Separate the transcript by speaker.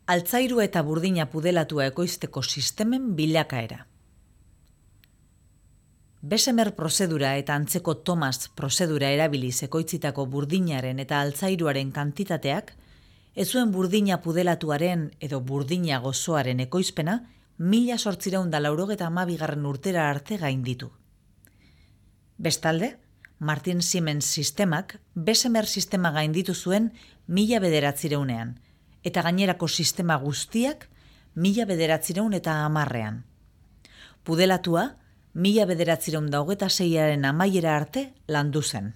Speaker 1: Altzairu eta burdina pudelatua ekoizteko sistemen bilakaera. Bessemer prozedura eta antzeko Thomas prozedura erabiliz ekoitzitako burdinaren eta altzairuaren kantitateak, ez zuen burdina pudelatuaren edo burdina gozoaren ekoizpena 1892 urtera arte gainditu. Bestalde, Martin Siemens sistemak Bessemer sistema gainditu zuen 1900ean, eta gainerako sistema guztiak 1910ean. Pudelatua 1926aren amaiera arte landu zen.